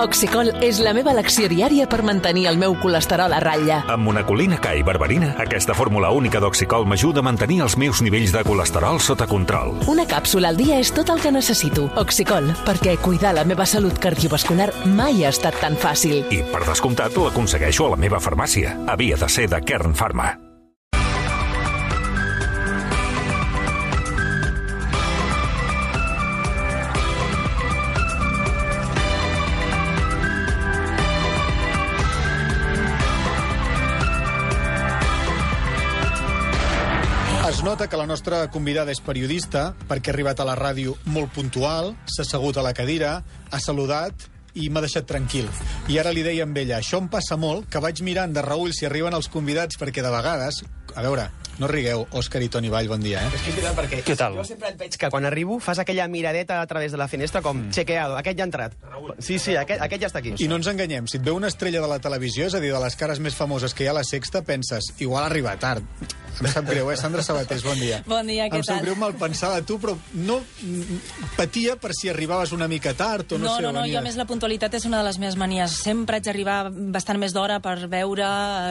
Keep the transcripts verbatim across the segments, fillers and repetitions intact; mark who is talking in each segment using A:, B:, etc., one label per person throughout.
A: Oxicol és la meva elecció diària per mantenir el meu colesterol a ratlla.
B: Amb monacolina K i berberina, aquesta fórmula única d'Oxicol m'ajuda a mantenir els meus nivells de colesterol sota control.
A: Una càpsula al dia és tot el que necessito. Oxicol, perquè cuidar la meva salut cardiovascular mai ha estat tan fàcil.
B: I, per descomptat, l'aconsegueixo a la meva farmàcia. Havia de ser de Kern Pharma.
C: Es nota que la nostra convidada és periodista perquè ha arribat a la ràdio molt puntual, s'ha assegut a la cadira, ha saludat i m'ha deixat tranquil. I ara li deia amb ella, això em passa molt, que vaig mirant de reüll si arriben els convidats, perquè de vegades... A veure, no rigueu, Òscar i Toni Vall, bon dia, eh?
D: És que és veritat, perquè
E: Què tal?
D: jo sempre et veig que quan arribo fas aquella miradeta a través de la finestra com, mm. chequeado, aquest ja ha entrat. Sí, sí, aquest, aquest ja està aquí.
C: I no ens enganyem, si et veu una estrella de la televisió, és a dir, de les cares més famoses que hi ha a la Sexta, penses, igual arriba tard. Em sap greu, eh? Sandra Sabatés, bon dia.
F: Bon dia, què
C: em sap
F: tal?
C: greu mal pensar de tu, però no patia per si arribaves una mica tard o no,
F: No,
C: sé.
F: no, no,
C: venies...
F: jo a més la puntualitat és una de les meves manies. Sempre haig d'arribar bastant més d'hora per veure,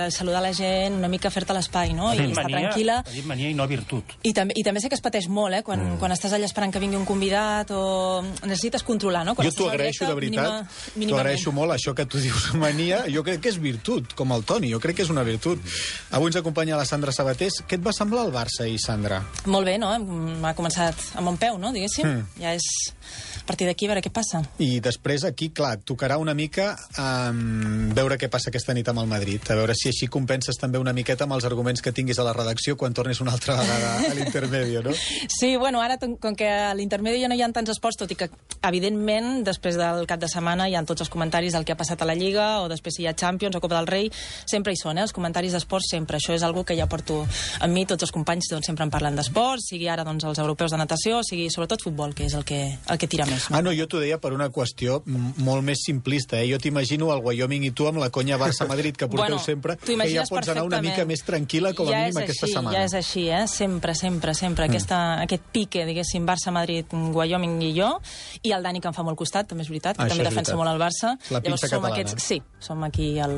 F: eh, saludar la gent, una mica fer-te l'espai, no? I estar tranquil·la.
E: Ha dit mania i no virtut.
F: I també, I també sé que es pateix molt, eh? Quan, mm. quan estàs allà esperant que vingui un convidat o necessites controlar, no? Quan
C: Jo t'ho agraeixo, de veritat. T'ho agraeixo molt, això que tu dius mania. Jo crec que és virtut, com el Toni. Jo crec que és una virtut. Avui ens acompanya la Sandra Sabatés. Què et va semblar el Barça ahir, Sandra?
F: Molt bé, no? M'ha començat amb bon peu, no? Diguéssim. Mm. Ja és a partir d'aquí, a veure què passa.
C: I després aquí, clar, tocarà una mica um, veure què passa aquesta nit amb el Madrid. A veure si així compenses també una miqueta amb els arguments que tinguis a la redacció quan tornis una altra vegada a l'intermedio, no?
F: Sí, bueno, ara, com que a l'intermedi ja no hi ha tants esports, tot i que, evidentment, després del cap de setmana hi ha tots els comentaris del que ha passat a la Lliga, o després si hi ha Champions o Copa del Rei, sempre hi són, eh? Els comentaris d'esports sempre. Això és algo que ja porto amb mi, tots els companys doncs, sempre en parlen d'esports, sigui ara doncs, els europeus de natació, sigui sobretot futbol, que és el que, el que tira més. No?
C: Ah, no, jo t'ho deia per una qüestió molt més simplista, eh? Jo t'imagino el Wyoming i tu amb la conya Barça-Madrid que porteu
F: bueno,
C: sempre, que ja pots anar una mica més tranquil·la com a
F: ja
C: mínim aquesta
F: així,
C: setmana.
F: Ja és així, eh? Sempre, sempre, sempre. Mm. Aquesta, aquest pique, diguéssim, Barça-Madrid, Wyoming i jo, i el Dani, que em fa molt costat, també és veritat, que
C: ah,
F: també
C: és
F: defensa
C: veritat.
F: molt el Barça.
C: La pinça
F: som
C: catalana.
F: Aquests, sí, som aquí el,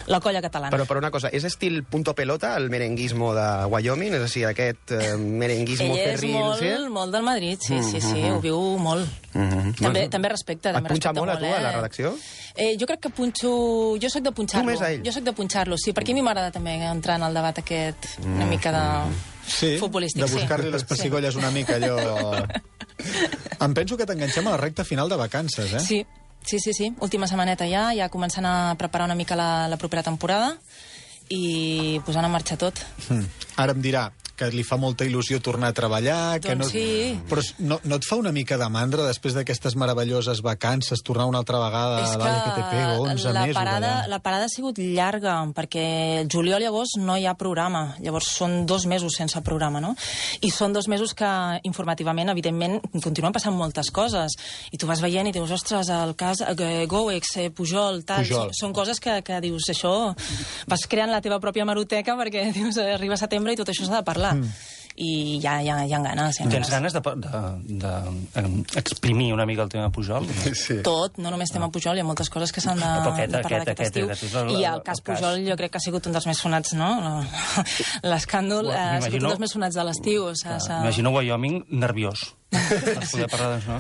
F: la colla catalana.
D: Però per una cosa, és estil punto pelota, el merenguismo de Wyoming? És a dir, aquest eh, merenguismo
F: Ell és
D: ferril...
F: molt,
D: sí?
F: molt del Madrid, sí,
D: Mm,
F: sí, sí,
D: mm, mm.
F: ho viu molt.
D: Mm -hmm.
F: També,
D: bueno,
F: també respecta, també
D: et punxa
F: respecta
D: molt, a tu,
F: eh?
D: a la redacció?
F: Eh, jo crec que punxo... Jo sóc de punxar-lo.
D: Tu més a ell?
F: Jo sóc de punxar-lo, sí, perquè a mi m'agrada també entrar en el debat aquest una mica de...
C: Sí,
F: futbolístic,
C: de buscar-li
F: sí.
C: les pessigolles una mica, allò... Em penso que t'enganxem a la recta final de vacances, eh?
F: Sí, sí, sí, sí. Última setmaneta ja, ja començant a preparar una mica la, la propera temporada i posant en marxa tot.
C: Mm. Ara em dirà que li fa molta il·lusió tornar a treballar... que
F: Doncs
C: no...
F: sí.
C: Però no, no et fa una mica de mandra després d'aquestes meravelloses vacances tornar una altra vegada
F: És
C: a l'A L P T P, onze
F: la
C: mesos
F: parada,
C: allà?
F: la parada ha sigut llarga, perquè el juliol i agost no hi ha programa. Llavors són dos mesos sense programa, no? I són dos mesos que informativament, evidentment, continuen passant moltes coses. I tu vas veient i dius, ostres, el cas eh, Goex, eh, Pujol, tal...
C: Pujol.
F: Són coses que, que dius, això... Vas creant la teva pròpia hemeroteca perquè dius, eh, arriba setembre i tot això s'ha de parlar. Mm. I ja, ja, ja en ganes. Ja en
E: Tens ganes d'exprimir una mica el tema Pujol?
C: Sí.
F: Tot, no només tema Pujol, hi ha moltes coses que s'han de,
E: Aquest,
F: de parlar
E: aquest,
F: d'aquest estiu.
E: aquest, aquest,
F: I el cas Pujol jo crec que ha sigut un dels més sonats, no? L'escàndol
E: Bueno,
F: ha sigut un
E: m'imagino-
F: dels més sonats de l'estiu. O sigui, s'ha-
E: Imagino Wyoming nerviós. Per poder parlar d'això.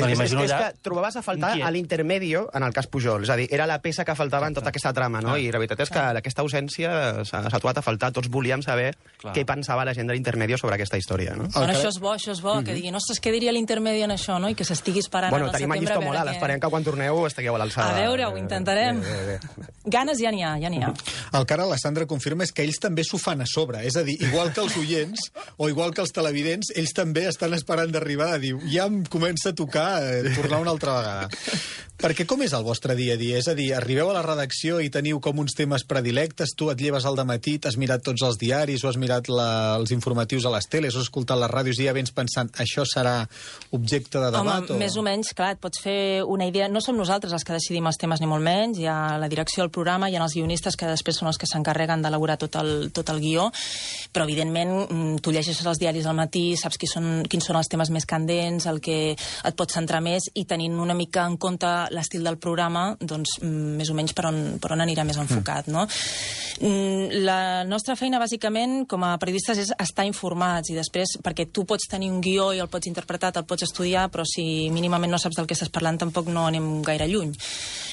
E: Me l'imagino
D: és, és
E: allà...
D: que trobaves a faltar
E: inquiet.
D: a l'intermedio en el cas Pujol. És a dir, era la peça que faltava en tota aquesta trama, no? I la veritat és que aquesta ausència s'ha s'ha trobat a faltar. Tots volíem saber
E: Clar.
D: què pensava la gent de l'intermedio sobre aquesta història, no?
F: Bueno,
C: que-
F: això és bo, això és bo, que diguin, ostres, què diria l'intermedi en això, no? I que s'estigui esperant
D: Bueno,
F: al
D: tenim a
F: setembre.
D: llista
F: a veure
D: molt alt.
F: què-
D: Esperem que quan torneu estigueu a l'alçada.
F: A veure, ho intentarem.
D: Bé, bé, bé.
F: Ganes ja n'hi ha, ja n'hi ha.
C: El que ara la Sandra confirma és que ells també s'ho fan a sobre. És a dir, igual que els oients o igual que els televidents, ells també estan esperant d'arribar a dir ja em comença a tocar eh, tornar una altra vegada. Perquè com és el vostre dia a dia? És a dir, arribeu a la redacció i teniu com uns temes predilectes, tu et lleves al dematí, t'has mirat tots els diaris o has mirat la, els informatius a les teles o has escoltat les ràdios i ja vens pensant això serà objecte de debat?
F: Home,
C: o...
F: més o menys, clar, et pots fer una idea. No som nosaltres els que decidim els temes ni molt menys, hi ha la direcció del programa, hi ha els guionistes que després són els que s'encarreguen d'elaborar tot, el, tot el guió, però evidentment tu llegeixes els diaris al matí, saps qui són, quins són els temes més candents, el que et pots centrar més i tenint una mica en compte l'estil del programa, doncs, més o menys per on, per on anirà més enfocat, no? La nostra feina, bàsicament, com a periodistes, és estar informats, i després, perquè tu pots tenir un guió i el pots interpretar, el pots estudiar, però si mínimament no saps del que estàs parlant, tampoc no anem gaire lluny.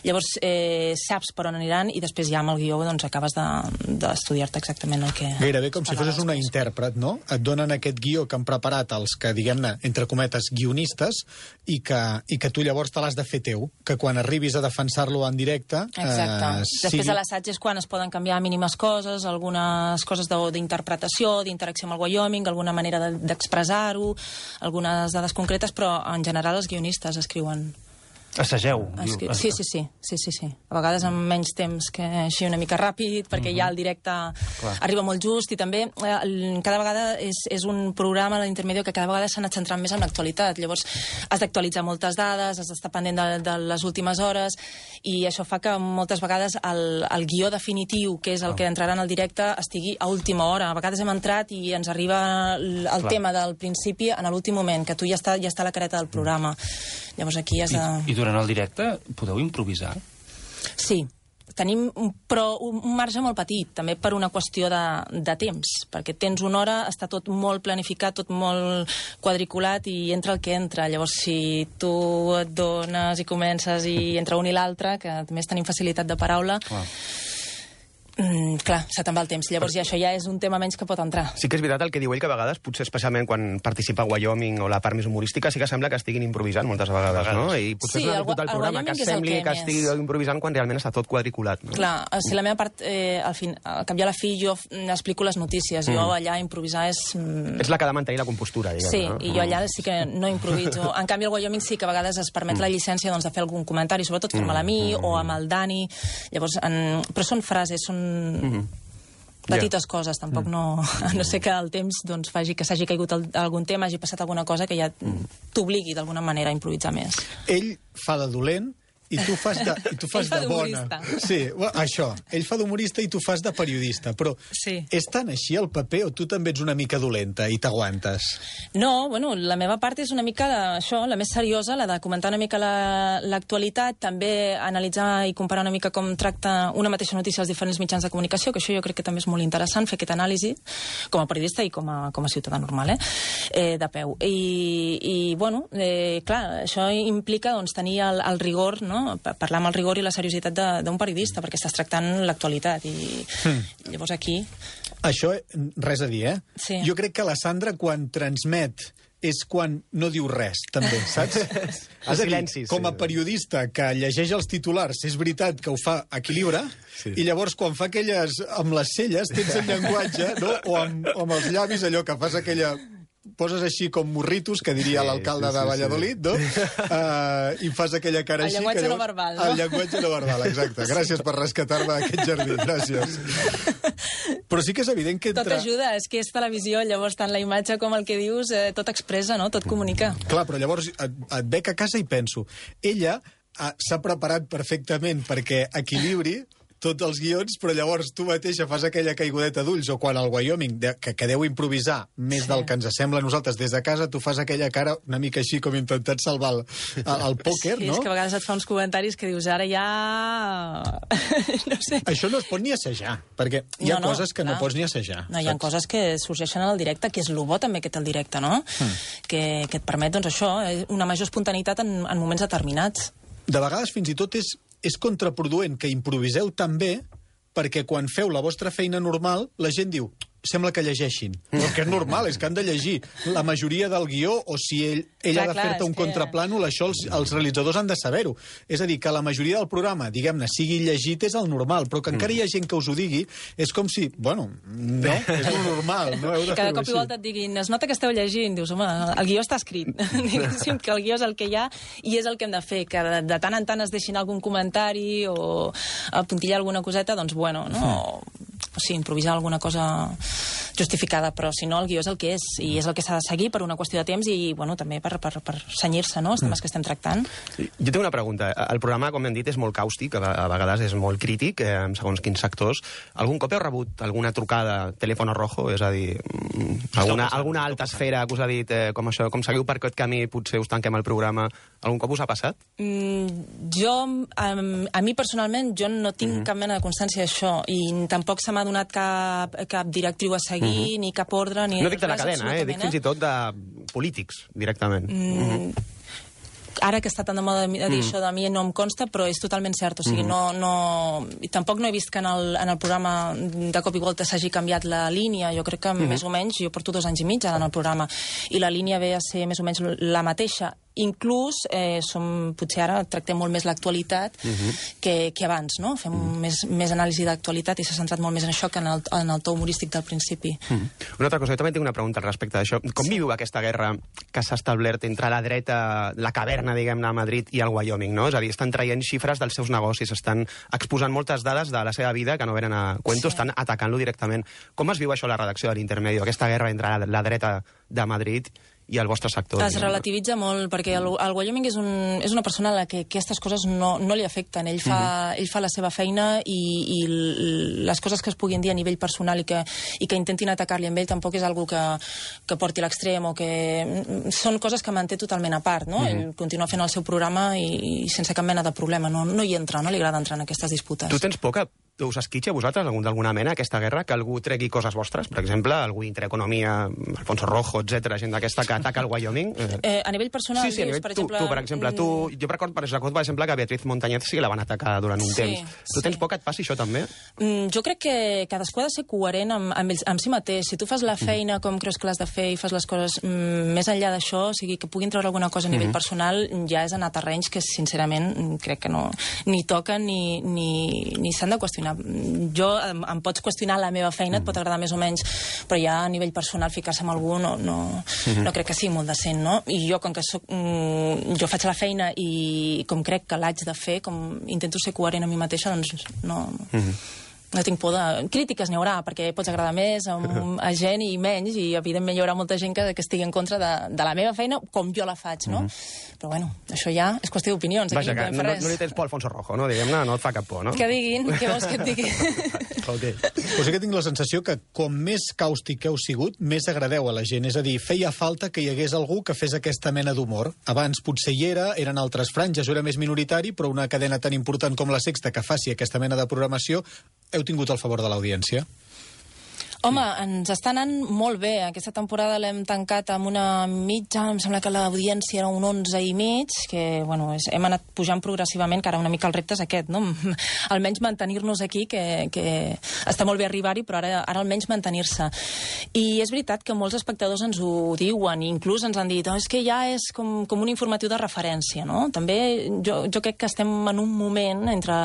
F: Llavors, eh, saps per on aniran, i després ja amb el guió doncs, acabes d'estudiar-te exactament el que...
C: Gairebé com si fossis una intèrpret, no? Et donen aquest guió que han preparat els que, diguem-ne, entre cometes, guionistes, i que, i que tu llavors te l'has de fer teu, que quan arribis a defensar-lo en directe...
F: Exacte.
C: Eh,
F: sigui... Després de l'assaig és quan es poden canviar mínimes coses, algunes coses d'interpretació, d'interacció amb el Wyoming, alguna manera d'expressar-ho, algunes dades concretes, però en general els guionistes escriuen.
E: Assageu.
F: Escri... Sí, sí, sí, sí, sí, sí. A vegades amb menys temps, que així una mica ràpid, perquè mm-hmm. ja el directe Clar. arriba molt just, i també eh, cada vegada és, és un programa, l'Intermedio, que cada vegada s'ha anat centrant més en l'actualitat. Llavors has d'actualitzar moltes dades, has d'estar pendent de, de les últimes hores, i això fa que moltes vegades el, el guió definitiu, que és el oh. que entrarà en el directe, estigui a última hora. A vegades hem entrat i ens arriba el, el tema del principi en l'últim moment, que tu ja està, ja està a la careta del programa. Llavors aquí has de...
E: I, i durant el directe podeu improvisar?
F: Sí, tenim un, però un marge molt petit, també per una qüestió de, de temps, perquè tens una hora, està tot molt planificat, tot molt quadriculat, i entra el que entra. Llavors, si tu et dones i comences i entra un i l'altre, que a més tenim facilitat de paraula... Clar. Mm, clar, se te'n va el temps. Llavors ja això ja és un tema menys que pot entrar.
D: Sí que és veritat el que diu ell, que a vegades, potser especialment quan participa a Wyoming o la part més humorística, sí que sembla que estiguin improvisant moltes vegades, no? I potser
F: sí,
D: és una
F: el,
D: virtut del programa, que sembli que, que estigui improvisant quan realment està tot quadriculat. No?
F: Clar, si la meva part, eh, al, fin, al cap i a la fi, jo explico les notícies. Mm. Jo allà improvisar és...
D: És la que ha de mantenir la compostura, diguem.
F: Sí,
D: no?
F: i jo allà sí que no improviso. En canvi, al Wyoming sí que a vegades es permet mm. la llicència, doncs, de fer algun comentari, sobretot fer-me'l a mi mm. o amb el Dani. Llavors, en... però són frases, són... Mm. petites yeah. coses, tampoc no... no sé que el temps doncs, faci que s'hagi caigut el, algun tema, hagi passat alguna cosa que ja t'obligui d'alguna manera a improvisar més.
C: Ell fa de dolent i tu fas de, i tu fas
F: Ell fa
C: de bona. Sí, això. Ell fa d'humorista i tu fas de periodista. Però
F: sí.
C: és tan així el paper o tu també ets una mica dolenta i t'aguantes?
F: No, bueno, la meva part és una mica de, això, la més seriosa, la de comentar una mica l'actualitat, la, també analitzar i comparar una mica com tracta una mateixa notícia als diferents mitjans de comunicació, que això jo crec que també és molt interessant, fer aquesta anàlisi com a periodista i com a, com a ciutadà normal, eh? Eh, de peu. I, i bueno, eh, clar, això implica doncs, tenir el, el rigor, no? Parlar amb el rigor i la seriositat d'un periodista, perquè estàs tractant l'actualitat, i mm. llavors aquí...
C: Això, res a dir, eh?
F: Sí.
C: Jo crec que la Sandra, quan transmet, és quan no diu res, també, saps?
D: Els silencis.
C: Com a periodista que llegeix els titulars, és veritat que ho fa equilibra, sí. i llavors quan fa aquelles amb les celles, tens el llenguatge, no? o, amb, o amb els llavis, allò que fas aquella... poses així com morritos, que diria sí, l'alcalde sí, sí, de Valladolid, sí. no? Uh, I fas aquella cara
F: el
C: així...
F: El llenguatge
C: que
F: no verbal, no?
C: El llenguatge no verbal, exacte. Gràcies per rescatar-me d'aquest jardí, gràcies. Però sí que és evident que... Entre...
F: Tot ajuda, és que és televisió, llavors tant la imatge com el que dius, eh, tot expressa, no? Tot comunica.
C: Clar, però llavors et, et bec a casa i penso, ella s'ha preparat perfectament perquè equilibri tots els guions, però llavors tu mateixa fas aquella caigudeta d'ulls, o quan al Wyoming, de, que, que deu improvisar més sí. del que ens sembla a nosaltres des de casa, tu fas aquella cara una mica així com intentant salvar el, el pòquer,
F: sí,
C: no?
F: És que a vegades et fa uns comentaris que dius, ara ja... no sé.
C: Això no es pot ni assajar, perquè hi ha no, no, coses que clar. no pots ni assajar.
F: No, hi ha saps? coses que sorgeixen en el directe, que és el bo també que té el directe, no? Mm. Que, que et permet, doncs això, una major espontaneïtat en, en moments determinats.
C: De vegades fins i tot és és contraproduent que improviseu tan bé perquè quan feu la vostra feina normal, la gent diu, sembla que llegeixin. Però que és normal, és que han de llegir la majoria del guió, o si ell, ell clar, ha de fer-te un que... contraplànol, això els, els realitzadors han de saber-ho. És a dir, que la majoria del programa, diguem-ne, sigui llegit és el normal, però que encara hi ha gent que us ho digui, és com si, bueno, no, és el normal. No? Heu de
F: Cada cop
C: així.
F: i volta et diguin, es nota que esteu llegint, dius, home, el guió està escrit. Diguéssim que el guió és el que hi ha i és el que hem de fer, que de, de tant en tant es deixin algun comentari o apuntillar alguna coseta, doncs bueno, no? O, o sí, improvisar alguna cosa justificada, però si no, el guió és el que és, i és el que s'ha de seguir per una qüestió de temps i, bueno, també per, per, per senyir-se, no?, els temes que estem tractant.
D: Jo tinc una pregunta. El programa, com hem dit, és molt càustic, a vegades és molt crític, eh, segons quins sectors. Algun cop heu rebut alguna trucada, telèfon rojo, és a dir, alguna, alguna alta esfera que us ha dit, eh, com això, com seguiu per aquest camí, potser us tanquem el programa, algun cop us ha passat?
F: Mm, jo, a, a mi personalment, jo no tinc mm -hmm. cap mena de constància d'això, i tampoc se m'ha donat cap, cap directriu a seguir, mm -hmm. ni cap ordre, ni...
D: No dic de la cadena, eh? Dic fins i tot de polítics, directament. Mm, mm -hmm.
F: Ara que està tan de moda de dir mm. això de mi no em consta, però és totalment cert. O sigui, mm. no, no... I tampoc no he vist que en el, en el programa de cop i volta s'hagi canviat la línia. Jo crec que mm. més o menys, jo porto dos anys i mig ara en el programa, i la línia ve a ser més o menys la mateixa. Inclús, eh, som, potser ara tractem molt més l'actualitat uh-huh. que, que abans, no? Fem uh-huh. més, més anàlisi d'actualitat i s'ha centrat molt més en això que en el, en el to humorístic del principi.
D: Uh-huh. Una altra cosa, jo també tinc una pregunta al respecte d'això. Com sí. viu aquesta guerra que s'ha establert entre la dreta, la caverna, diguem-ne, a Madrid i el Wyoming, no? És a dir, estan traient xifres dels seus negocis, estan exposant moltes dades de la seva vida que no venen a cuento, sí. estan atacant-lo directament. Com es viu això a la redacció de l'Intermedio, aquesta guerra entre la, la dreta de Madrid i el vostre sector?
F: Es relativitza molt, perquè el, el Wyoming és, un, és una persona a la que aquestes coses no, no li afecten. Ell fa, uh-huh. ell fa la seva feina i, i les coses que es puguin dir a nivell personal i que, i que intentin atacar-li amb ell tampoc és algo que, que porti a l'extrem o que... Són coses que manté totalment a part, no? Uh-huh. Ell continua fent el seu programa i, i sense cap mena de problema. No, no hi entra, no li agrada entrar en aquestes disputes.
D: Tu tens por que us esquitxa a vosaltres d'alguna mena aquesta guerra, que algú tregui coses vostres? Per exemple, algú Intereconomia, Alfonso Rojo, etcètera, gent d'aquesta que ataca el Wyoming?
F: Eh, a nivell personal,
D: sí, sí,
F: dius,
D: nivell,
F: per exemple...
D: Tu, tu, per exemple, tu... Jo recordo, per exemple, que Beatriz Montañez sí que la van atacar durant un sí, temps. Tu tens sí. por que et passi això, també?
F: Mm, jo crec que cadascú ha de ser coherent amb, amb, ells, amb si mateix. Si tu fas la feina com creus que l'has de fer i fas les coses mm, més enllà d'això, o sigui, que puguin treure alguna cosa a nivell mm-hmm. personal, ja és anar a terrenys que, sincerament, crec que no ni toquen ni, ni, ni s'han de qüestionar. Jo Em, em pots qüestionar la meva feina, et pot agradar més o menys, però ja a nivell personal ficar-se amb algú no, no, uh-huh. no crec que sigui molt decent, no? I jo, com que soc, mm, jo faig la feina i com crec que l'haig de fer, com intento ser coherent a mi mateixa, doncs no... Uh-huh. No tinc por de... Crítiques n'hi haurà, perquè pots agradar més a, un, a gent i menys, i evidentment hi haurà molta gent que, que estigui en contra de, de la meva feina, com jo la faig, no? Mm-hmm. Però bueno, això ja és qüestió d'opinions.
D: Vaja, que no, no, no li tens por a Alfonso Rojo, no? Diguem-ne, no et fa cap por, no?
F: Que diguin, què vols que et digui?
C: Okay. Pues sí que tinc la sensació que com més càustic heu sigut, més agradeu a la gent. És a dir, feia falta que hi hagués algú que fes aquesta mena d'humor. Abans potser hi era, eren altres franges, era més minoritari, però una cadena tan important com la Sexta que faci aquesta mena de programació, heu tingut el favor de l'audiència?
F: Home, ens està anant molt bé. Aquesta temporada l'hem tancat amb una mitja, em sembla que l'audiència era un onze i mig, que, bueno, és, hem anat pujant progressivament, que ara una mica el repte és aquest, no? Almenys mantenir-nos aquí, que, que està molt bé arribar-hi, però ara, ara almenys mantenir-se. I és veritat que molts espectadors ens ho diuen, i inclús ens han dit, oh, és que ja és com, com un informatiu de referència, no? També jo, jo crec que estem en un moment entre...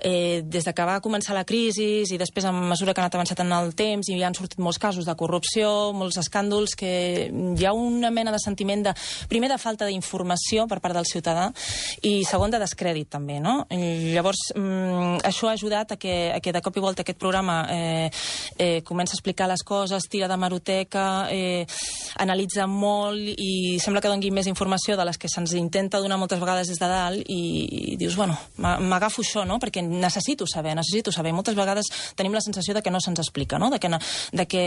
F: Eh, des de que va començar la crisi i després, a mesura que ha anat avançat en el temps, i hi han sortit molts casos de corrupció, molts escàndols, que hi ha una mena de sentiment de, primer, de falta d'informació per part del ciutadà, i segon, de descrèdit, també, no? I llavors, mm, això ha ajudat a que, a que de cop i volta aquest programa eh, eh, comença a explicar les coses, tira de maroteca, eh, analitza molt, i sembla que doni més informació de les que se'ns intenta donar moltes vegades des de dalt, i, i dius, bueno, m'agafo això, no? Perquè necessito saber, necessito saber. Moltes vegades tenim la sensació de que no se'ns explica, no? De que, no, de que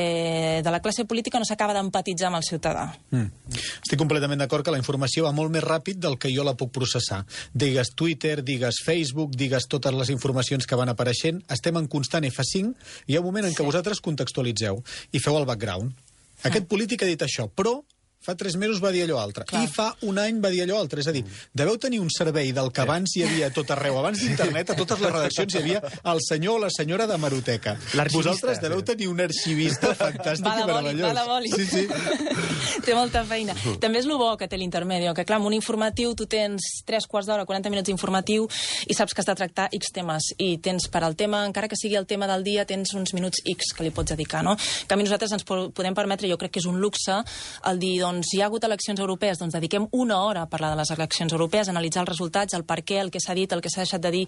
F: de la classe política no s'acaba d'empatitzar amb el ciutadà.
C: Mm. Estic completament d'acord que la informació va molt més ràpid del que jo la puc processar. Digues Twitter, digues Facebook, digues totes les informacions que van apareixent, estem en constant F cinc, i hi ha un moment en què sí. vosaltres contextualitzeu i feu el background. Aquest polític ha dit això, però fa tres mesos va dir allò altre. Clar. I fa un any va dir allò altre. És a dir, deveu tenir un servei del que abans hi havia a tot arreu. Abans d'internet, a totes les redaccions hi havia el senyor o la senyora de maroteca. Vosaltres deveu tenir un arxivista fantàstic i meravellós.
F: Va de boli,
C: sí, sí.
F: Té molta feina. També és el bo que té l'Intermedio, que clar, amb un informatiu tu tens tres quarts d'hora, quaranta minuts d'informatiu, i saps que has de tractar X temes. I tens per al tema, encara que sigui el tema del dia, tens uns minuts X que li pots dedicar, no? Que a mi nosaltres ens podem permetre, jo crec que és un luxe, el dir, doncs, doncs, hi ha hagut eleccions europees, doncs dediquem una hora a parlar de les eleccions europees, analitzar els resultats, el per què, el que s'ha dit, el que s'ha deixat de dir,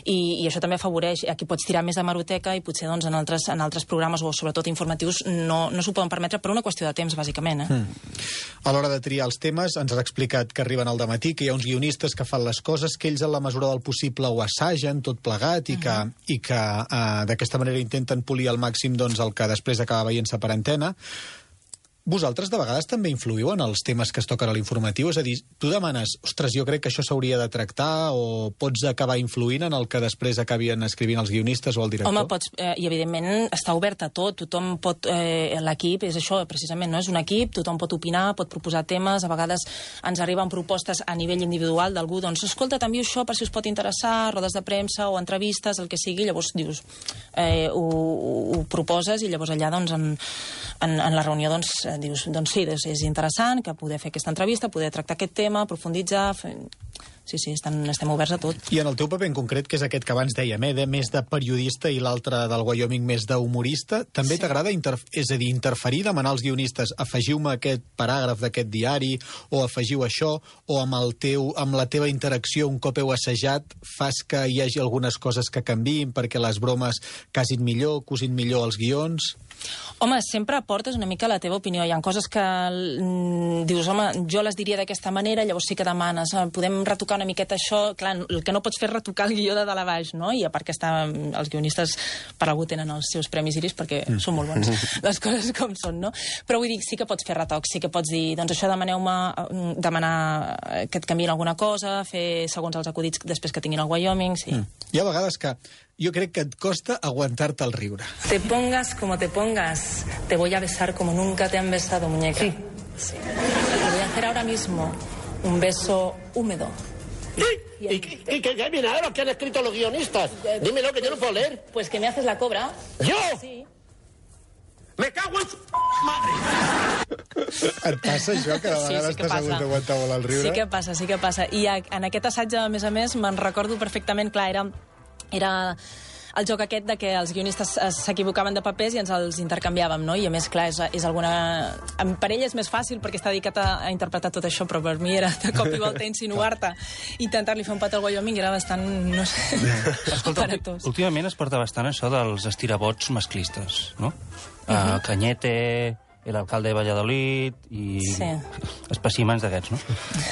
F: i, i això també afavoreix. Aquí pots tirar més de hemeroteca i potser doncs, en, altres, en altres programes, o sobretot informatius, no, no s'ho poden permetre per una qüestió de temps, bàsicament. Eh?
C: Mm. A l'hora de triar els temes, ens has explicat que arriben al dematí, que hi ha uns guionistes que fan les coses, que ells en la mesura del possible ho assagen tot plegat i que, uh -huh. i que uh, d'aquesta manera intenten polir al màxim doncs, el que després acaba veient-se per antena. Vosaltres de vegades també influïu en els temes que es toquen a l'informatiu? És a dir, tu demanes, ostres, jo crec que això s'hauria de tractar, o pots acabar influint en el que després acabien escrivint els guionistes o el director?
F: Home, pots, eh, i evidentment està obert a tot, tothom pot, eh, l'equip és això, precisament, no? És un equip, tothom pot opinar, pot proposar temes, a vegades ens arriben propostes a nivell individual d'algú, doncs, escolta, t'envio això per si us pot interessar, rodes de premsa o entrevistes, el que sigui, llavors dius, eh, ho, ho proposes i llavors allà, doncs, en, en, en la reunió, doncs, dius, doncs sí, és interessant que poder fer aquesta entrevista, poder tractar aquest tema, profunditzar... Fer... Sí, sí, estan, estem oberts a tot.
C: I en el teu paper en concret, que és aquest que abans dèiem, eh, de més de periodista i l'altre del Wyoming més d'humorista, també sí. T'agrada, és a dir, interferir, demanar als guionistes afegiu-me aquest paràgraf d'aquest diari, o afegiu això, o amb, el teu, amb la teva interacció, un cop heu assajat, fas que hi hagi algunes coses que canviïn perquè les bromes casin millor, cosin millor els guions...
F: Home, sempre aportes una mica la teva opinió. Hi ha coses que mm, dius, home, jo les diria d'aquesta manera, llavors sí que demanes, podem retocar una miqueta això. Clar, el que no pots fer és retocar el guió de dalt a baix, no? I a part que està, els guionistes per algú tenen els seus premis Iris perquè mm. són molt bons, les coses com són, no? Però vull dir, sí que pots fer retocs, sí que pots dir, doncs això demaneu-me, demanar que et canviïn alguna cosa, fer segons els acudits després que tinguin el Wyoming, sí. Mm.
C: Hi ha vegades que jo crec que et costa aguantar-te el riure.
F: Te pongas como te pongas, te voy a besar como nunca te han besado, muñeca. Sí. Sí. Te voy a hacer ahora mismo un beso húmedo.
G: ¿Y, y, y, y qué viene ahora? ¿Qué han escrito los guionistas? Dímelo, que yo no puedo leer.
F: Pues que me haces la cobra.
G: ¿Yo?
F: Sí.
G: Me cago en su madre!
C: Et passa això, que a vegades sí, sí t'has hagut d'aguantar molt el riure?
F: Sí que passa, sí que passa. I en aquest assaig, a més a més, me'n recordo perfectament, clar, era... era el joc aquest de que els guionistes s'equivocaven de papers i ens els intercanviàvem, no? I a més, clar, és, és alguna... Per ell és més fàcil perquè està dedicat a, a interpretar tot això, però per mi era de cop i volta insinuar-te. Intentar-li fer un pat al Wyoming era bastant, no sé,
E: escolta, últimament es porta bastant això dels estirabots masclistes, no? Uh -huh. uh, Cañete, el alcalde de Valladolid i sí. espècimens d'aquests, no?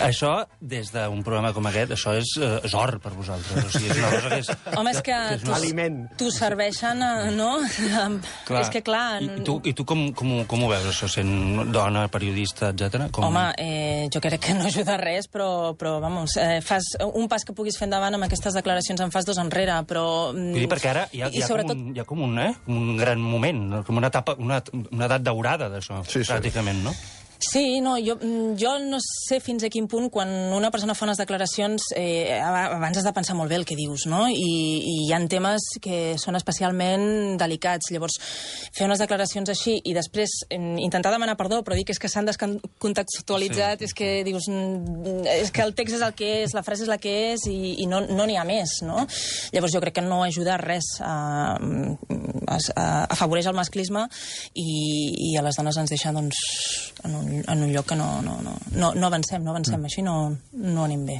E: Això, des d'un programa com aquest, això és, uh, és or per vosaltres. O sigui, és una cosa que és...
F: Home, és que, que és
D: aliment.
F: T'ho serveixen, no? Clar. És que, clar...
E: I tu, i tu com, com, com ho veus, això, sent dona, periodista, etcètera? Com...
F: Home, eh, jo crec que no ajuda res, però, però vamos, eh, fas un pas que puguis fer endavant amb aquestes declaracions en fas dos enrere, però...
E: Vull dir, perquè ara hi ha, hi ha, sobretot... com, un, hi ha com un, eh, un gran moment, com una etapa, una, una edat daurada d'això, sí, pràcticament, sí. No?
F: Sí, no, jo, jo no sé fins a quin punt, quan una persona fa unes declaracions, eh, abans has de pensar molt bé el que dius, no? I, i hi ha temes que són especialment delicats. Llavors, fer unes declaracions així i després intentar demanar perdó, però dir que és que s'han descontextualitzat, sí. és que dius, és que el text és el que és, la frase és la que és i, i no n'hi no ha més, no? Llavors jo crec que no ajuda res a, a, a afavoreix el masclisme i, i a les dones ens deixa, doncs, en un en un lloc que no, no, no, no, no avancem, no avancem, mm. així no, no anem bé.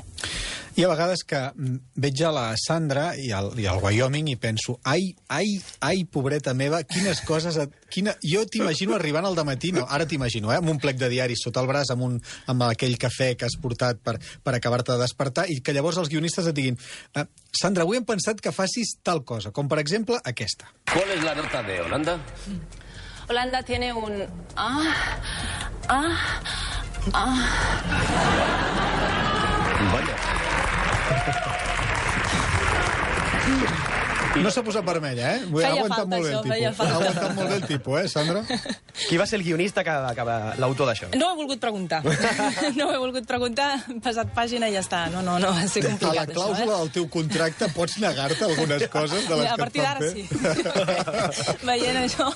C: Hi ha vegades que veig a la Sandra i al, i al Wyoming i penso, ai, ai, ai, pobreta meva, quines coses... Et, quina... Jo t'imagino arribant al dematí, no, ara t'imagino, eh, amb un plec de diaris sota el braç, amb, un, amb aquell cafè que has portat per, per acabar-te de despertar, i que llavors els guionistes et diguin, eh, Sandra, avui hem pensat que facis tal cosa, com per exemple aquesta.
H: ¿Cuál es la nota de Holanda?
F: Holanda tiene un... Ah, ah, ah.
H: Vaya.
C: No s'ha posat vermella, eh? Ha aguantat molt bé el tipus. Ha aguantat molt bé el tipus, eh, Sandra?
D: Qui va ser el guionista, que, que l'autor d'això?
F: No ho he volgut preguntar. No ho he volgut preguntar, he passat pàgina i ja està. No, no, no, va ser complicat,
C: a la clàusula això, eh? del teu contracte pots negar-te algunes coses de les
F: a
C: que et fan fer?
F: A partir d'ara sí. Veient això...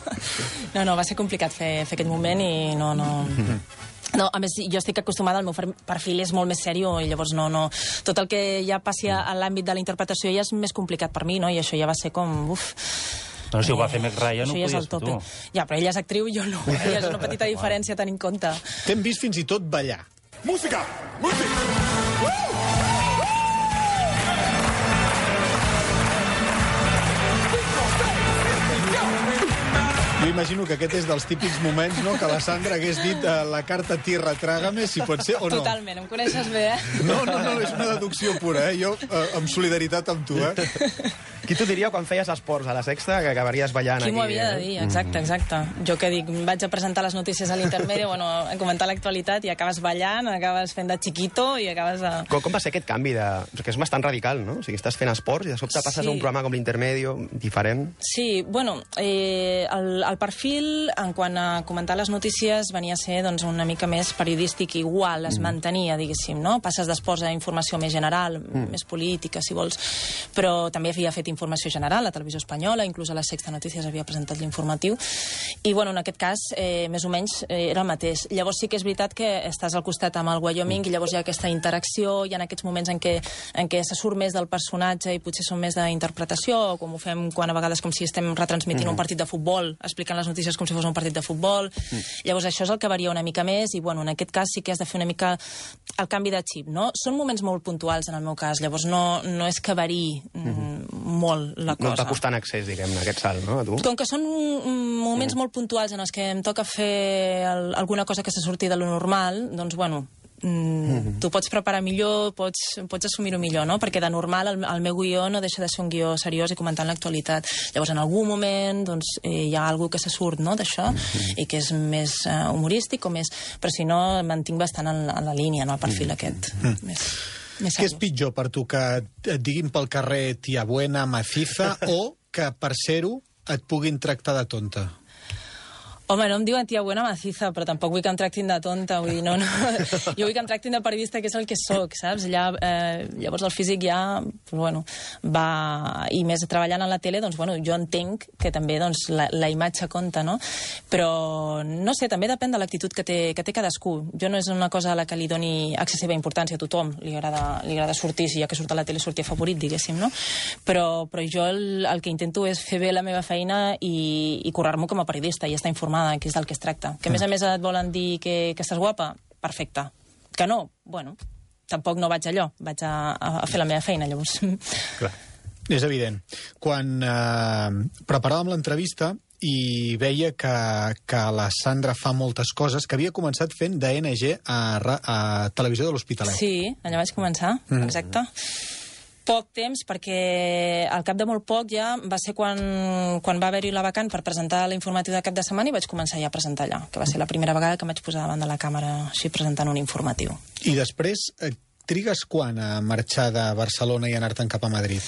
F: No, no, va ser complicat fer, fer aquest moment i no... no... No, a més, jo estic acostumada, el meu perfil és molt més sèrio i llavors no, no... Tot el que ja passi a l'àmbit de la interpretació ja és més complicat per mi, no? I això ja va ser com... Uf...
E: Però si ho va fer Meg Ryan, ho
F: Això ja és
E: podies
F: el
E: fer
F: tope.
E: tu.
F: Ja, però ella és actriu i jo no. Ella és una petita diferència a tenir en compte.
C: T'hem vist fins i tot ballar.
I: Música! Música!
C: Jo imagino que aquest és dels típics moments, no?, que la Sandra hagués dit eh, la carta tierra, trágame, si pot ser o no.
F: Totalment, em coneixes bé, eh?
C: No, no, no, és una deducció pura, eh? Jo, eh, amb solidaritat amb tu, eh?
D: Qui t'ho diria quan feies esports a la Sexta, que acabaries ballant
F: Qui
D: aquí?
F: m'ho havia de dir? Exacte, exacte. Jo que dic, vaig a presentar les notícies a l'intermedi, bueno, a comentar l'actualitat i acabes ballant, acabes fent de chiquito i acabes de...
D: Com, com va ser aquest canvi de... Que és bastant radical, no? O sigui, estàs fent esports i de sobte passes
F: Sí.
D: a un programa com l'Intermedio, diferent.
F: Sí, bueno, eh, el, el perfil, en quant a comentar les notícies, venia a ser doncs, una mica més periodístic, igual, es mm. mantenia, diguéssim, no? Passes d'esports a informació més general, mm. més política, si vols, però també havia fet informació general a Televisió Espanyola, inclús a la Sexta Notícies havia presentat l'informatiu, i, bueno, en aquest cas, eh, més o menys, eh, era el mateix. Llavors sí que és veritat que estàs al costat amb el Wyoming mm. i llavors hi ha aquesta interacció, hi ha aquests moments en què, en què se surt més del personatge i potser són més d'interpretació, com ho fem quan a vegades com si estem retransmitint mm. un partit de futbol, explicant les notícies com si fos un partit de futbol. Mm. Llavors això és el que varia una mica més i, bueno, en aquest cas sí que has de fer una mica el canvi de xip, no? Són moments molt puntuals en el meu cas, llavors no, no és que variï mm, molt la cosa.
D: No et va costar en accés, diguem-ne, aquest salt, no, a tu?
F: Com que són moments mm. molt puntuals en els que em toca fer el, alguna cosa que se surti de lo normal, doncs, bueno, mm, mm-hmm. tu pots preparar millor, pots, pots assumir-ho millor, no? Perquè de normal el, el meu guió no deixa de ser un guió seriós i comentant l'actualitat. Llavors, en algun moment, doncs, eh, hi ha algú que se surt, no?, d'això, mm-hmm. i que és més eh, humorístic o més... Però si no, em mantinc bastant en, en la línia, no?, el perfil mm. aquest. Mm. Més...
C: Què és pitjor per tu, que et diguin pel carrer tia buena, maciza, o que per ser-ho et puguin tractar de tonta?
F: Home, no em diuen tia buena maciza, però tampoc vull que em tractin de tonta, vull dir, no, no. Jo vull que em tractin de periodista, que és el que sóc, saps? Allà, eh, llavors el físic ja, bueno, va... I més treballant a la tele, doncs, bueno, jo entenc que també, doncs, la, la imatge compta, no? Però, no sé, també depèn de l'actitud que té, que té cadascú. Jo no és una cosa a la que li doni excessiva importància a tothom. Li agrada, li agrada sortir, si ja que surt a la tele, sortir favorit, diguéssim, no? Però, però jo el, el que intento és fer bé la meva feina i, i curar-m'ho com a periodista i estar informada, que és del que es tracta. Que a més a més et volen dir que, que estàs guapa? Perfecte. Que no? Bueno, tampoc no vaig allò. Vaig a, a fer la meva feina, llavors.
C: Clar. És evident. Quan eh, preparàvem l'entrevista i veia que, que la Sandra fa moltes coses, que havia començat fent de N G a, a Televisió de l'Hospitalet.
F: Sí, allà vaig començar, mm. exacte. Poc temps, perquè al cap de molt poc ja va ser quan, quan va haver-hi la vacant per presentar l'informatiu de cap de setmana i vaig començar ja a presentar allà, que va ser la primera vegada que em vaig posar davant de la càmera així presentant un informatiu.
C: I després, eh, trigues quan a marxar de Barcelona i anar-te'n cap a Madrid?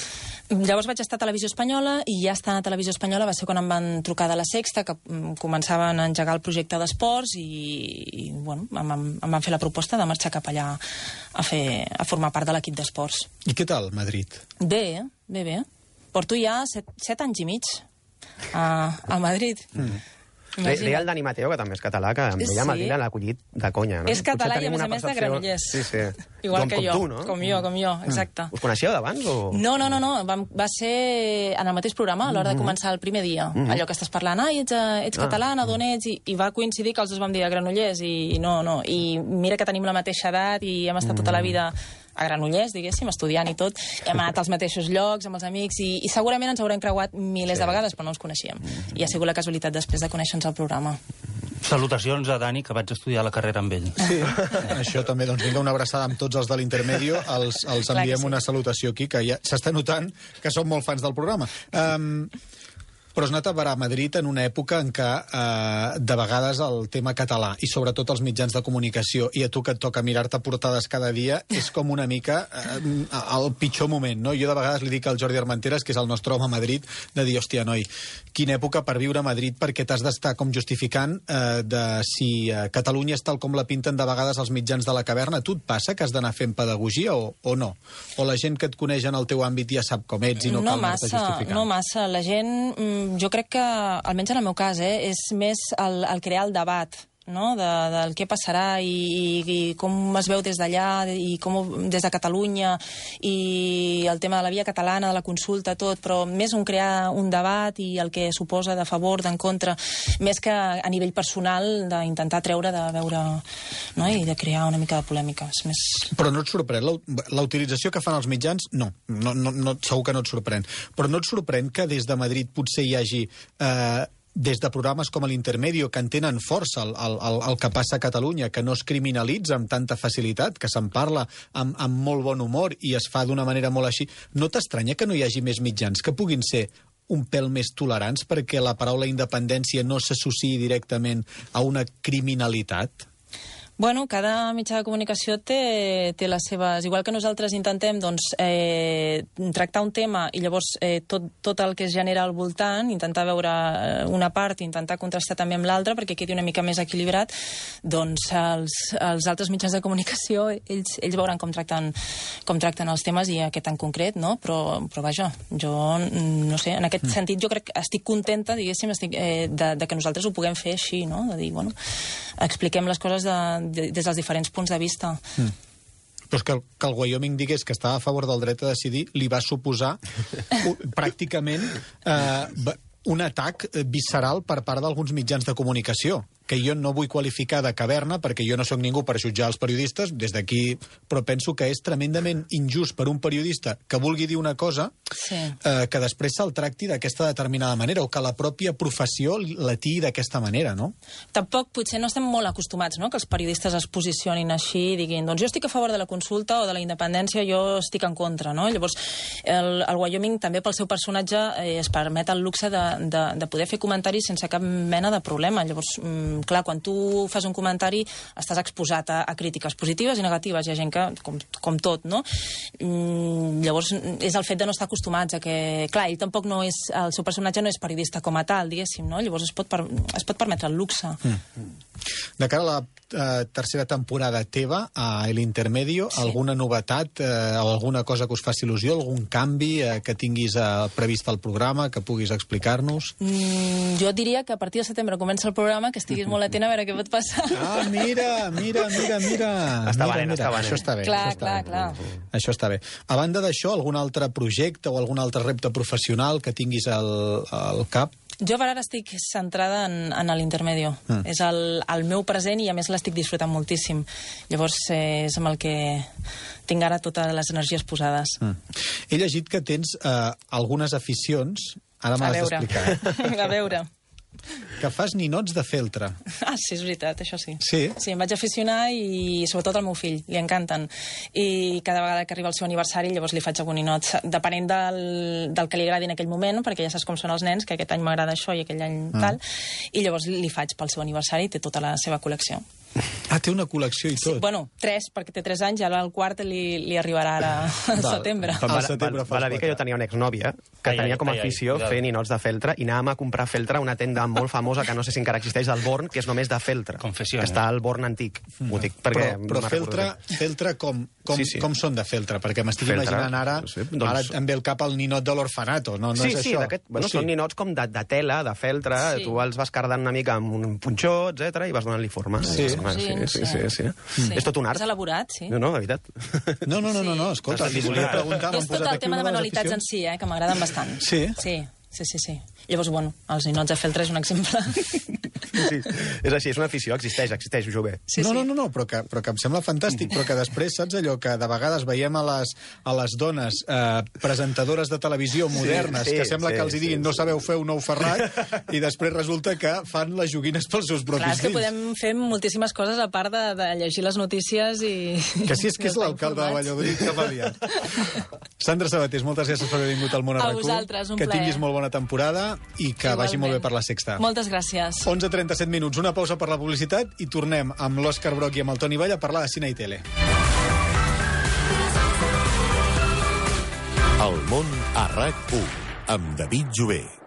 F: Llavors vaig estar a Televisió Espanyola i ja estar a Televisió Espanyola va ser quan em van trucar de la Sexta, que començaven a engegar el projecte d'esports i, i bueno, em, em van fer la proposta de marxar cap allà a, fer, a formar part de l'equip d'esports.
C: I què tal, Madrid?
F: Bé, bé, bé. Porto ja set, set anys i mig a, a Madrid. Mm.
D: Deia el Dani Mateo, que també és català, que amb ella
F: Sí.
D: Madrid l'ha acollit de conya, no?
F: És català
D: Potser
F: i, a
D: tenim
F: més
D: una
F: a més, de
D: percepció-
F: Granollers.
D: Sí, sí.
F: Igual
D: com,
F: que
D: com
F: jo,
D: tu, no?
F: com jo, com jo, exacte.
D: Us coneixíeu d'abans o...?
F: No, no, no, no. Va, va ser en el mateix programa, a l'hora de començar el primer dia.
D: Mhm.
F: Allò que estàs parlant, ai, ets, eh, ets
D: Ah.
F: catalana, d'on ets? I, I va coincidir que els dos vam dir a Granollers, i, i no, no. I mira que tenim la mateixa edat i hem estat tota la vida a Granollers, diguéssim, estudiant i tot. Hem anat als mateixos llocs, amb els amics, i, i segurament ens haurem creuat milers
D: Sí.
F: de vegades, però no ens coneixíem. I ha sigut la casualitat després de conèixer-nos al programa.
E: Salutacions a Dani, que vaig estudiar la carrera amb ell.
C: Sí. Això també, doncs vinga, una abraçada amb tots els de l'Intermedio, els, els
F: Clar que
C: enviem
F: sí.
C: una salutació aquí, que ja s'està notant que som molt fans del programa. Um, però has anat a parar a Madrid en una època en què eh, de vegades el tema català i sobretot els mitjans de comunicació i a tu que et toca mirar-te portades cada dia és com una mica eh, el pitjor moment, no? Jo de vegades li dic al Jordi Armenteres, que és el nostre home a Madrid, de dir, hòstia, noi, quina època per viure a Madrid, perquè t'has d'estar com justificant eh, de si eh, Catalunya és tal com la pinten de vegades els mitjans de la caverna. Tu et passa que has d'anar fent pedagogia o, o no? O la gent que et coneix en el teu àmbit ja sap com ets i no,
F: no
C: cal anar-te
F: massa,
C: justificant?
F: no massa. La gent, mm, jo crec que, almenys en el meu cas, eh, és més el, el crear el debat, no? de, del què passarà i, i, i com es veu des d'allà i com des de Catalunya i el tema de la via catalana, de la consulta, tot, però més un crear un debat i el que suposa de favor, d'en contra, més que a nivell personal d'intentar treure de veure, no? I de crear una mica de polèmica. És més...
C: Però no et sorprèn la, la utilització que fan els mitjans? No, no, no, no, segur que no et sorprèn. Però no et sorprèn que des de Madrid potser hi hagi... Eh, des de programes com l'Intermedio, que entenen força el, el, el, el que passa a Catalunya, que no es criminalitza amb tanta facilitat, que se'n parla amb, amb molt bon humor i es fa d'una manera molt així, no t'estranya que no hi hagi més mitjans que puguin ser un pèl més tolerants perquè la paraula independència no s'associï directament a una criminalitat?
F: Bueno, cada mitjà de comunicació té, té les seves... Igual que nosaltres intentem doncs, eh, tractar un tema i llavors eh, tot, tot el que es genera al voltant, intentar veure una part i intentar contrastar també amb l'altra perquè quedi una mica més equilibrat, doncs els, els altres mitjans de comunicació ells, ells veuran com tracten, com tracten els temes i aquest en concret, no? Però, però vaja, jo no sé, en aquest mm. sentit jo crec que estic contenta, diguéssim, estic, eh, de, de que nosaltres ho puguem fer així, no? De dir, bueno, expliquem les coses de des dels diferents punts de vista.
C: Mm. Però és que el, que el Wyoming digués que estava a favor del dret a decidir li va suposar pràcticament eh, un atac visceral per part d'alguns mitjans de comunicació, que jo no vull qualificar de caverna perquè jo no sóc ningú per jutjar els periodistes des d'aquí, però penso que és tremendament injust per un periodista que vulgui dir una cosa
F: sí.
C: eh, que després se'l tracti d'aquesta determinada manera o que la pròpia professió la tiï d'aquesta manera, no?
F: Tampoc potser no estem molt acostumats, no?, que els periodistes es posicionin així i diguin, doncs jo estic a favor de la consulta o de la independència, jo estic en contra, no? Llavors, el, el Wyoming també pel seu personatge eh, es permet el luxe de, de, de poder fer comentaris sense cap mena de problema. Llavors, mm, clar, quan tu fas un comentari estàs exposat a, a crítiques positives i negatives. Hi ha gent que, com, com tot, no? Mm, llavors, és el fet de no estar acostumats a que... Clar, ell tampoc no és... El seu personatge no és periodista com a tal, diguéssim, no? Llavors es pot, per, es pot permetre el luxe. Mm.
C: De cara a la eh, tercera temporada teva, a l'Intermedio, sí. alguna novetat eh, o alguna cosa que us faci il·lusió, algun canvi eh, que tinguis eh, previst al programa, que puguis explicar-nos?
F: Mm, jo diria que a partir de setembre comença el programa, que estiguis molt atent a veure què pot passar.
C: Ah, mira, mira, mira, mira.
D: Està
C: mira,
D: valent,
C: mira.
D: està valent.
C: Això està bé.
F: Clar,
C: això està
F: clar,
C: bé.
F: clar.
C: Això està bé. A banda d'això, algun altre projecte o algun altre repte professional que tinguis al, al cap?
F: Jo per ara estic centrada en, en l'Intermedio. Mm. És el, el meu present i a més l'estic disfrutant moltíssim. Llavors eh, és amb el que tinc ara totes les energies posades.
C: Mm. He llegit que tens eh, algunes aficions, ara me l'has d'explicar.
F: A veure.
C: Que fas ninots de feltre.
F: Ah, sí, és veritat, això sí.
C: Sí?
F: Sí, em vaig aficionar i sobretot al meu fill, li encanten. I cada vegada que arriba el seu aniversari llavors li faig algun ninot, depenent del, del que li agradi en aquell moment, perquè ja saps com són els nens, que aquest any m'agrada això i aquell any mm. tal, i llavors li faig pel seu aniversari i té tota la seva col·lecció.
C: Ah, té una col·lecció i tot.
F: Sí, bueno, tres, perquè té tres anys, i ara el quart li, li arribarà ara al setembre.
D: Val, val, val a dir que jo tenia una exnòvia que ai, tenia com a afició ai, ai, fer ninots de feltre i anàvem a comprar feltre a una tenda molt famosa que no sé si encara existeix, al Born, que és només de feltre.
E: Confessió.
D: Que està al Born antic. Mm. Ho dic perquè...
C: Però, però feltre, feltre com, com, sí, sí. com són de feltre? Perquè m'estic imaginant ara, sí, doncs... ara em ve el cap el ninot de l'orfanato, no, no
D: sí,
C: és
D: sí,
C: això?
D: Bueno, sí, són ninots com de, de tela, de feltre, sí. Tu els vas cardant una mica amb un punxó, etcètera, i vas donant-li forma.
C: Sí,
D: sí, sí, sí, sí, sí, sí.
F: Sí.
D: És tot un art.
F: És elaborat, sí.
D: No, no, de veritat.
C: No, no, no, no, no. Escolta,
D: sí.
C: si volia preguntar...
F: És tot el tema de manualitats en si, eh, que m'agraden bastant.
C: Sí?
F: Sí, sí, sí, sí. Llavors, bueno, els ninots de feltre és un exemple.
D: Sí, és així, és una afició, existeix, existeix, ho bé.
F: Sí,
C: no,
F: sí.
C: no, no, no, però que, però que em sembla fantàstic, però que després, saps allò que de vegades veiem a les, a les dones eh, presentadores de televisió modernes, sí, sí, que sembla sí, que els hi diguin sí, no sabeu fer un ou ferrat, i després resulta que fan les joguines pels seus propis
F: Clar, és que
C: fills.
F: podem fer moltíssimes coses a part de, de llegir les notícies i...
C: Que sí, és que és l'alcalde de Valladolid que m'ha liat. Sandra Sabatés, moltes gràcies per haver vingut al Món a
F: A
C: RAC u.
F: vosaltres, un
C: que
F: plaer.
C: tinguis molt bona temporada i que
F: Igualment.
C: vagi molt bé per la Sexta.
F: Moltes gràcies.
C: onze trenta-set minuts, una pausa per la publicitat i tornem amb l'Òscar Broc i amb el Toni Vall a parlar de cine i tele.
J: El Món a RAC u, amb David Jové.